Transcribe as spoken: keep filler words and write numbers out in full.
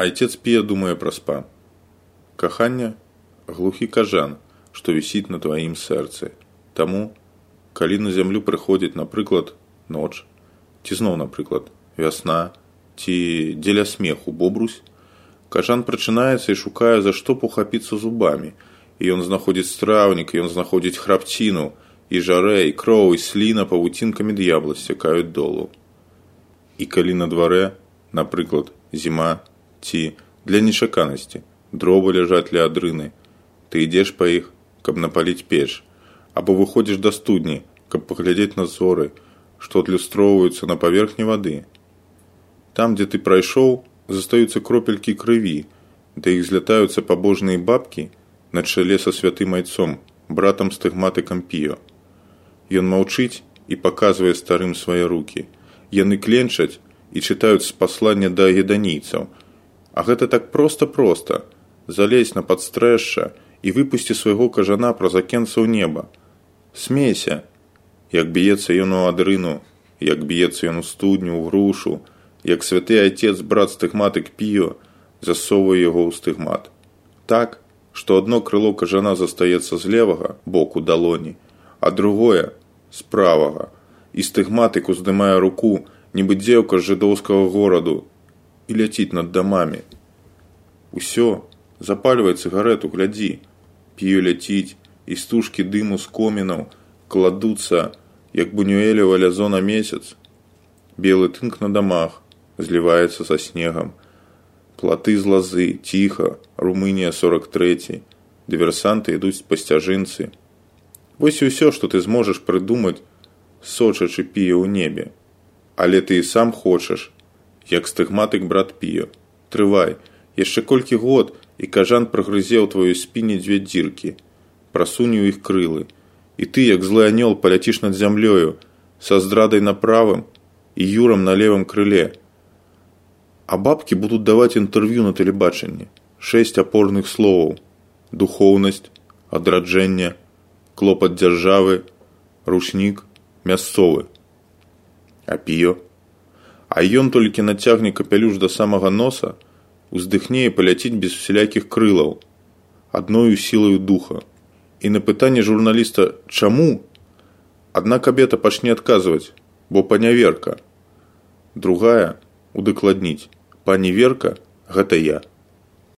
Айцец Пія думае пра спа. Каханне – глухі кажан, што вісіць на тваім сэрцы. Таму, калі на зямлю прыходзіць, напрыклад, ноч, ці зноў, напрыклад, вясна, ці дзеля смеху бобрусь, кажан прачынаецца і шукае, за што пахапіцца зубамі. І ён знаходзіць страўнік, ён знаходзіць храпціну, і жарэ, і кроў, і сліна павуцінкамі д'ябла сцякаюць долу. І калі на дварэ, напрыклад, зіма, ці, для нечаканасці, дровы ляжаць ля адрыны, ты ідзеш па іх, каб напаліць печ, або выходзіш да студні, каб паглядзець на зоры, што адлюстроўваюцца на паверхні вады. Там, дзе ты прайшоў, застаюцца кропелькі крыві, да іх злятаюцца пабожныя бабкі на чале са святым айцом, братам стыгматыкам Піо. Ён маўчыць і паказвае старым свае рукі. Яны кленчаць і чытаюць з паслання да еданійцаў. А гэта так проста-проста. Залезь на падстрэшша і выпусці свайго кажана праз акенца ў неба. Смейся, як б'ецца ён у адрыну, як б'ецца ён у студню, у грушу, як святы айцец, брат стыгматык Піо, засоўвае яго ў стыгмат. Так, што адно крыло кажана застаецца з левага боку далоні, а другое з правага, і стыгматык уздымае руку, нібы дзеўка з жыдоўскага гораду, і ляціць над дамамі. Усё, запальвай цыгарету, глядзі. Піо ляціць, і стужкі дыму з комінаў кладуцца, як бунюэлева лязо на месяц. Белы тынк на дамах зліваецца са снегам. Платы з лазы, ціха, Румынія сорок трэці. Дыверсанты ідуць па сцяжынцы. Вось і ўсё, што ты зможаш прыдумаць, сочачы Піо ў небе. Але ты і сам хочаш, як стыгматык брат Піо. Трывай, яшчэ колькі год, і кажан прагрызе ў тваёй спіне дзве дзіркі. Прасунь у іх крылы. І ты, як злы анёл, паляціш над зямлёю, са здрадай на правым і юрам на левым крыле. А бабкі будуць даваць інтэрв'ю на тэлебачанні. Шэсць апорных словаў. Духоўнасць, адраджэнне, клопат дзяржавы, ручнік, мясцовы. А Піо? А ён толькі нацягне капялюш да самага носа, уздыхне і паляціць без усялякіх крылаў, адною сілаю духа. І на пытанне журналіста «Чаму?» адна кабета пачне адказваць, бо паняверка. Другая удакладніць, пані Верка – гэта я.